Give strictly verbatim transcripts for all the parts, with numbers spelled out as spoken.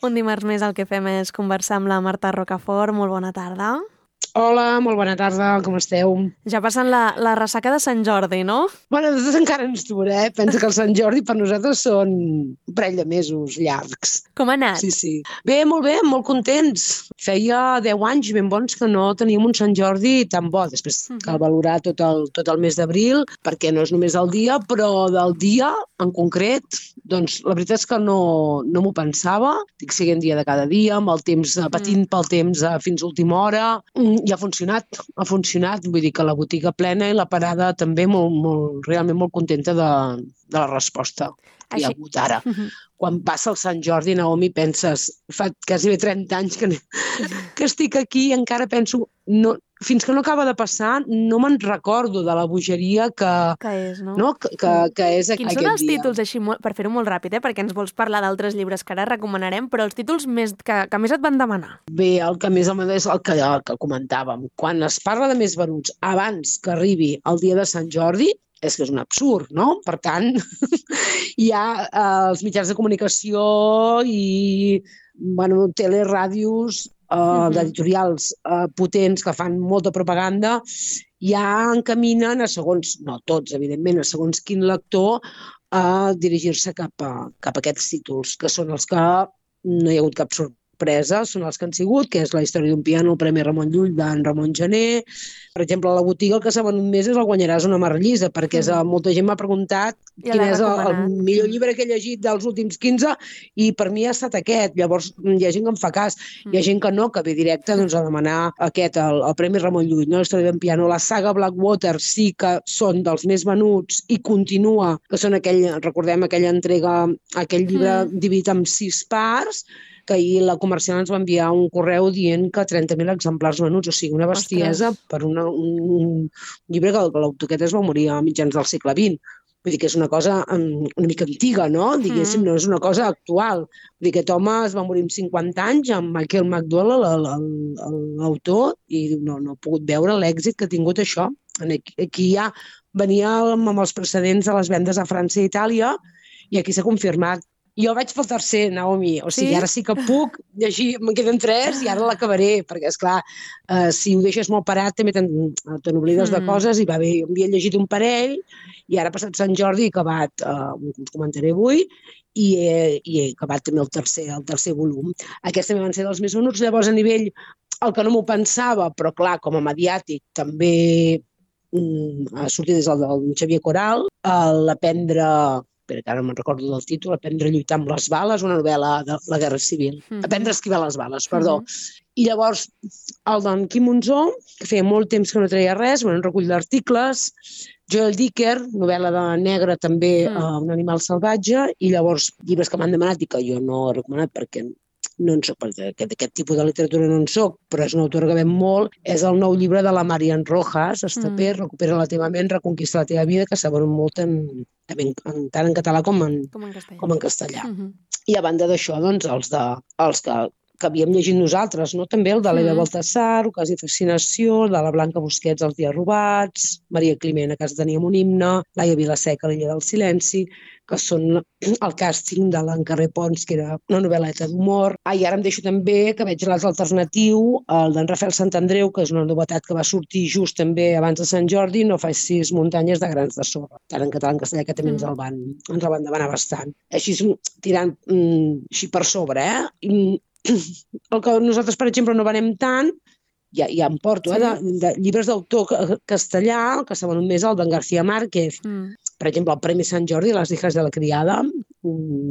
Un dimarts més el que fem és conversar amb la Marta Rocafort. Molt bona tarda. Hola, molt bona tarda, com esteu? Ja passant la, la ressaca de Sant Jordi, no? Bueno, nosaltres encara ens dura, eh? Pensa que el Sant Jordi per nosaltres són un parell de mesos llargs. Com ha anat? Sí, sí. Bé, molt bé, molt contents. Feia deu anys ben bons que no teníem un Sant Jordi tan bo. Després uh -huh. cal valorar tot el, tot el mes d'abril, perquè no és només el dia, però del dia en concret, doncs la veritat és que no, no m'ho pensava. Estic seguint dia de cada dia, amb el temps, patint mm. pel temps fins a última hora. I ha funcionat, ha funcionat. Vull dir que la botiga plena i la parada també molt, molt, realment molt contenta de, de la resposta que hi ha hagut ara. Uh -huh. Quan passa el Sant Jordi, Naomi, penses, fa quasi bé trenta anys que, que estic aquí i encara penso, no, fins que no acaba de passar, no me'n recordo de la bogeria que, que és, no? no? Que, que, que és Quins aquest dia. Quins són els títols, així, per fer-ho molt ràpid, eh? Perquè ens vols parlar d'altres llibres que ara recomanarem, però els títols més, que, que més et van demanar? Bé, el que més em va és el que, el que comentàvem. Quan es parla de més venuts abans que arribi el dia de Sant Jordi, és que és un absurd, no? Per tant, hi ha eh, els mitjans de comunicació i, bueno, tele, ràdios, eh, uh-huh. d'editorials eh, potents que fan molta propaganda, ja encaminen a segons, no tots, evidentment, a segons quin lector, a dirigir-se cap a, cap a aquests títols, que són els que no hi ha hagut cap sorpresa, són els que han sigut, que és La història d'un piano, el Premi Ramon Llull d'en Ramon Gené. Per exemple, a la botiga el que s'ha venut més és El guanyaràs una marrallissa, perquè és, mm. molta gent m'ha preguntat ja quin és el, el millor llibre que he llegit dels últims quinze i per mi ha estat aquest. Llavors hi ha gent que em fa cas, mm. hi ha gent que no, que ve directe doncs, a demanar aquest, el, el Premi Ramon Llull, no? La història d'un piano. La saga Blackwater sí que són dels més venuts i continua, que són aquell, recordem aquella entrega, aquell llibre mm. dividit en sis parts, que ahir la comercial ens va enviar un correu dient que trenta mil exemplars venuts, o sigui, una bestiesa Ostres. per una, un, un llibre que l'autor aquest es va morir a mitjans del segle vint. Vull dir que és una cosa um, una mica antiga, no? Diguéssim, mm. no és una cosa actual. Vull dir que aquest home es va morir amb cinquanta anys, amb Michael McDowell, l'autor, i no, no he pogut veure l'èxit que ha tingut això. Aquí ja venia amb els precedents de les vendes a França i Itàlia, i aquí s'ha confirmat. Jo vaig pel tercer, Naomi, o sigui, sí? Ara sí que puc llegir, me'n queden tres i ara l'acabaré, perquè, esclar, eh, si ho deixes molt parat també te n'oblides mm. de coses, i va bé, jo havia llegit un parell, i ara ha passat Sant Jordi i he acabat, eh, us comentaré avui, i he, i he acabat també el tercer, el tercer volum. Aquests també van ser dels més venuts, llavors a nivell, el que no m'ho pensava, però clar, com a mediàtic també mm, ha sortit des del, del Xavier Coral, l'Aprendre... però ara no me'n recordo del títol, Aprendre a lluitar amb les bales, una novel·la de la Guerra Civil. Mm -hmm. Aprendre a esquivar les bales, perdó. Mm -hmm. I llavors, el d'en Quim Monzó, que feia molt temps que no treia res, bueno, un recull d'articles, Joel Dicker, novel·la de negre també, mm. uh, Un animal salvatge, i llavors llibres que m'han demanat i que jo no he recomanat perquè no en soc, perquè d'aquest tipus de literatura no en soc, però és una autora que ven molt, és el nou llibre de la Marian Rojas, Estaper, mm. Recupera la teva ment, Reconquista la teva vida, que s'ha venut molt en, en, en, tant en català com en, com en castellà. Com en castellà. Mm-hmm. I a banda d'això, doncs, els, de, els que, que havíem llegit nosaltres, no? També el de l'Eva mm. Baltasar, Ocasi i fascinació, el de la Blanca Busquets, Els dies robats, Maria Climent, A casa teníem un himne, Laia Vilaseca, L'illa del silenci, que són el càsting de l'Encarrer Pons, que era una novel·leta d'humor. Ah, i ara em deixo també que veig l'altre alternatiu, el d'en Rafael Santandreu, que és una novetat que va sortir just també abans de Sant Jordi, No facis muntanyes de grans de sorra. Tant en català en castellà, que també mm. ens, el van, ens el van demanar bastant. Així, tirant mm, així per sobre, eh? I, el que nosaltres, per exemple, no venem tant, ja, ja em porto, sí. eh, de, de llibres d'autor castellà, el que s'ha venut més el d'en García Márquez. Mm. Per exemple, el Premi Sant Jordi, Les hijas de la criada,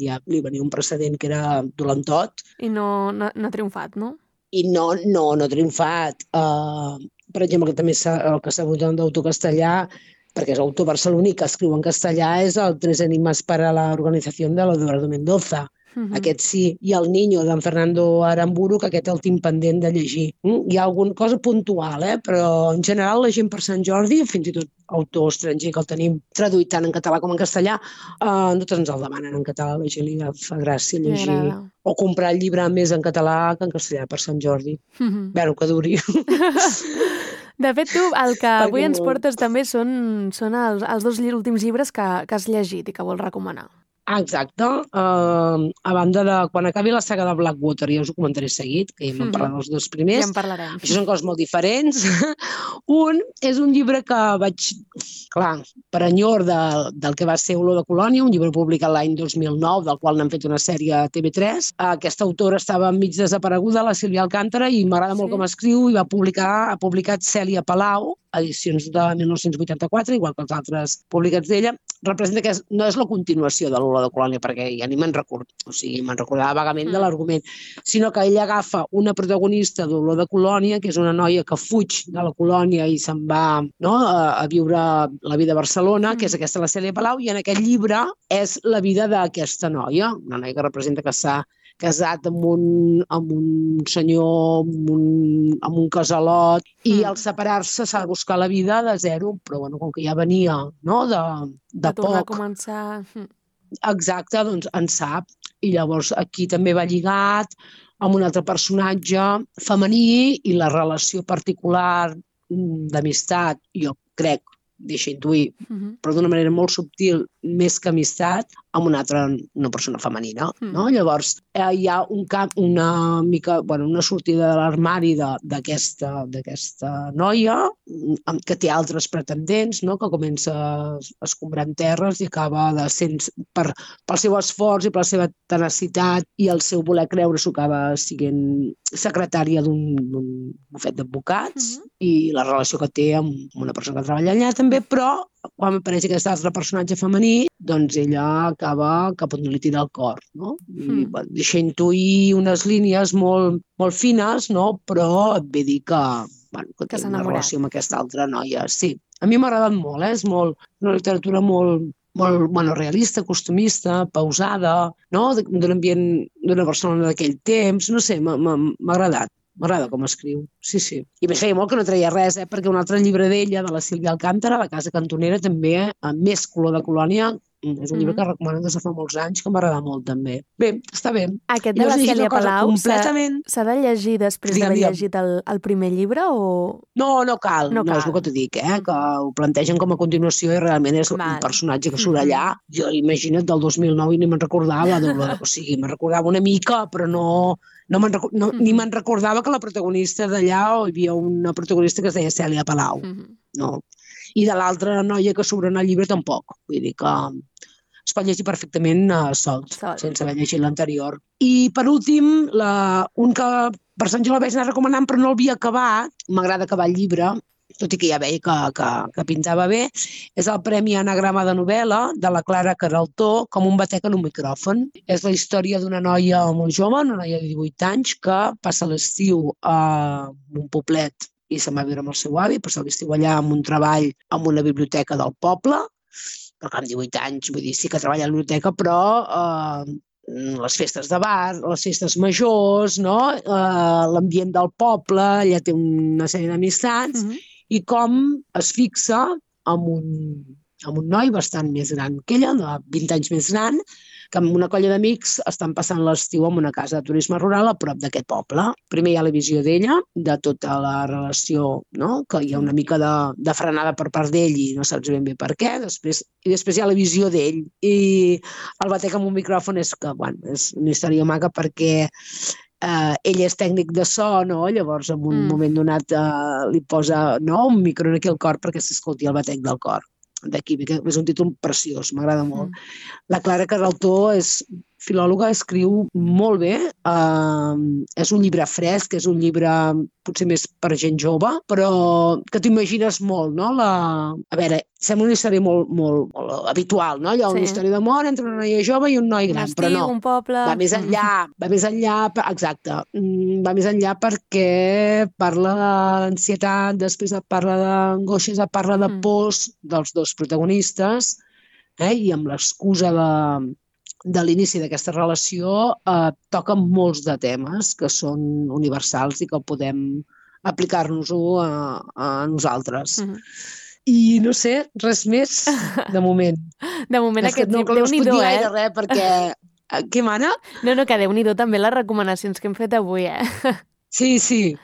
ja li venia un precedent que era dolentot. I no, no, no ha triomfat, no? I no, no, no ha triomfat. Uh, per exemple, també el que s'ha venut d'autor castellà, perquè és autor barceloní que escriu en castellà, és el Tres enigmas para la organización de l'Eduardo Mendoza. Uh-huh. Aquest sí, i El niño d'en Fernando Aramburu, que aquest el tinc pendent de llegir. Mm? Hi ha alguna cosa puntual, eh? Però en general la gent per Sant Jordi, fins i tot autor estranger que el tenim traduït tant en català com en castellà, eh, nosaltres ens el demanen en català, la gent li fa gràcia llegir o comprar el llibre més en català que en castellà per Sant Jordi. Uh-huh. Bé, que duri. De fet, tu, el que Perquè avui ens portes també són, són els, els dos últims llibres que, que has llegit i que vols recomanar. Ah, exacte. Uh, a banda de... Quan acabi la saga de Blackwater, ja us ho comentaré seguit, que ja m'han parlat dels dos primers. Ja en parlarem. Això són coses molt diferents. Un és un llibre que vaig... Clar, per enyor de, del que va ser Olor de Colònia, un llibre publicat l'any dos mil nou, del qual n'han fet una sèrie a T V tres. Aquesta autora estava enmig desapareguda, la Sílvia Alcántara, i m'agrada molt Sí. com escriu, i va publicar, ha publicat Cèlia Palau, edicions de mil nou-cents vuitanta-quatre, igual que els altres publicats d'ella. Representa que és, no és la continuació de l'Olor de Colònia, perquè ja ni me'n record, o sigui, me'n recordava vagament mm. de l'argument, sinó que ella agafa una protagonista d'Olor de Colònia, que és una noia que fuig de la colònia i se'n va, no, a, a viure la vida a Barcelona, mm. que és aquesta la Cèlia Palau, i en aquest llibre és la vida d'aquesta noia, una noia que representa que s'ha casat amb un, amb un senyor, amb un, amb un casalot, i mm. al separar-se s'ha de buscar la vida de zero, però bueno, com que ja venia, no, de, de, De tornar a poc. començar... Exacte, doncs en sap. I llavors aquí també va lligat amb un altre personatge femení i la relació particular d'amistat, jo crec, deixa intuir, Uh-huh. però d'una manera molt subtil, més que amistat, amb una altra, una persona femenina, Mm. no? Llavors, eh, hi ha un camp, una mica, bueno, una sortida de l'armari de- d'aquesta d'aquesta noia, amb- que té altres pretendents, no? Que comença escombrant terres i acaba de sent, per, pel seu esforç i per la seva tenacitat i el seu voler creure-s'ho, acaba sent secretària d'un d'un bufet d'advocats Mhm. i la relació que té amb una persona que treballa allà també, però quan apareix aquest altre personatge femení, doncs ella acaba cap on li tira el cor, no? I Mm. bueno, deixa intuir unes línies molt, molt fines, no? Però et ve dir que, bueno, que, Que té s'ha una enamorat. relació amb aquesta altra noia. Sí, a mi m'ha agradat molt, eh? És molt, una literatura molt, molt bueno, realista, costumista, pausada, no? De- d'un ambient d'una Barcelona d'aquell temps, no sé, m'ha m'ha- m'ha agradat. M'agrada com escriu, sí, sí. I més feia molt que no treia res, eh? Perquè un altre llibre d'ella, de la Sílvia Alcántara, La casa cantonera, també, amb més color de colònia, és un llibre Mhm. que recomano des de fa molts anys, que m'agrada molt també. Bé, està bé. Aquest de Jo us la he llegit Cèlia una cosa Palau s'ha completament... s'ha de llegir després Digue'm, d'haver digue'm. llegit el, el primer llibre o... No, no cal, No no, és cal. el que t'ho dic, eh? Que ho plantegen com a continuació i realment és Val. un personatge que surt Mhm. allà. Jo, imagina't, del dos mil nou i ni me'n recordava, de, o sigui, me'n recordava una mica, però no, no, me'n reco- no ni me'n recordava que la protagonista d'allà, hi havia una protagonista que es deia Cèlia Palau, Mhm. no. I de l'altra noia que surt en el llibre tampoc, vull dir que es pot llegir perfectament uh, sols, Sol. sense haver llegit l'anterior. I per últim, la, un que per Sant Jo la vaig anar recomanant però no l'havia acabat, m'agrada acabar el llibre, tot i que ja veia que, que, que pintava bé, és el Premi Anagrama de Novel·la de la Clara Queraltó, com un batec en un micròfon. És la història d'una noia molt jove, una noia de divuit anys, que passa l'estiu a un poblet i se'n va a viure amb el seu avi, passa l'estiu allà amb un treball en una biblioteca del poble, però amb divuit anys, vull dir, sí que treballa a la biblioteca, però eh, les festes de bar, les festes majors, no? eh, l'ambient del poble, ella té una sèrie d'amistats, Mhm. i com es fixa amb un, amb un noi bastant més gran que ella, de vint anys més gran, que amb una colla d'amics estan passant l'estiu en una casa de turisme rural a prop d'aquest poble. Primer hi ha la visió d'ella, de tota la relació, no? Que hi ha una mica de, de frenada per part d'ell i no saps ben bé per què, després, i després hi ha la visió d'ell. I el batec amb un micròfon és que, bueno, és una història maca perquè eh, ell és tècnic de so, no? Llavors en un Mm. mm. moment donat eh, li posa, no, un micro aquí al cor perquè s'escolti el batec del cor. D'aquí, que és un títol preciós, m'agrada molt. Mm. La Clara Queraltó és filòloga, escriu molt bé, uh, és un llibre fresc, és un llibre potser més per gent jove, però que t'imagines molt, no? La... A veure, sembla una història molt, molt, molt habitual, no? Allò, una Sí. història d'amor entre una noia jove i un noi Un gran, estiu, però no. un poble... Va més enllà, va més enllà, per- exacte, mm, va més enllà perquè parla d'ansietat, després et parla d'angoixes, et parla de Mm. pors dels dos protagonistes, eh? I amb l'excusa de, de l'inici d'aquesta relació eh, toca molts de temes que són universals i que podem aplicar-nos-ho a, a nosaltres. Mhm. I no sé, res més de moment. De moment És que aquest no, llibre, no us puc Déu-n'hi-do, dir eh? gaire res perquè... eh, Què mana? No, no, que Déu-n'hi-do també les recomanacions que hem fet avui, eh? Sí, sí.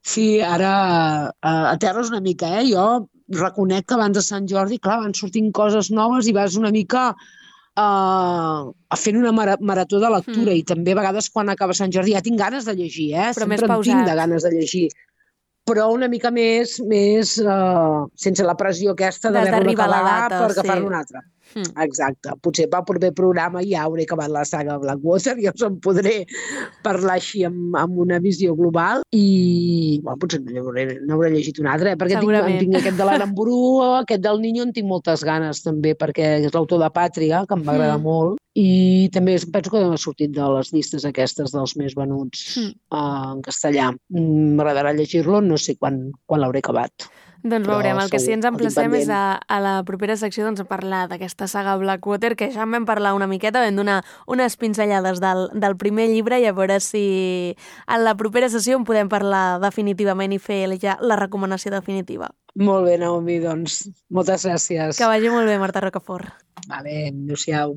Sí, ara eh, aterres una mica, eh? Jo reconec que abans de Sant Jordi, clar, van sortint coses noves i vas una mica uh, fent una mara marató de lectura Mm. i també a vegades quan acaba Sant Jordi ja tinc ganes de llegir, eh? Però Sempre més en tinc pausat. de ganes de llegir. Però una mica més, més uh, sense la pressió aquesta D'has d'haver-lo d'arribar a la d'acabar data, per sí. agafar-ne un altre. Mm. Exacte. Potser pel proper programa ja hauré acabat la saga Blackwater i us en podré parlar així amb, amb una visió global i bueno, potser n'hauré no hauré llegit un altre, eh? Perquè tinc, en tinc aquest de l'Aramburu, aquest del Niño en tinc moltes ganes també, perquè és l'autor de Pàtria, que em va agradar mm. molt, i també penso que ha sortit de les llistes aquestes dels més venuts mm. uh, en castellà. M'agradarà llegir-lo, no sé quan, quan l'hauré acabat. Doncs veurem, el que sí ens emplacem és a, a la propera secció doncs, a parlar d'aquesta saga Blackwater, que ja en vam parlar una miqueta, vam donar unes pinzellades del, del primer llibre i a veure si en la propera sessió en podem parlar definitivament i fer ja la recomanació definitiva. Molt bé, Naomi, doncs moltes gràcies. Que vagi molt bé, Marta Rocafort. Vale, adéu-siau.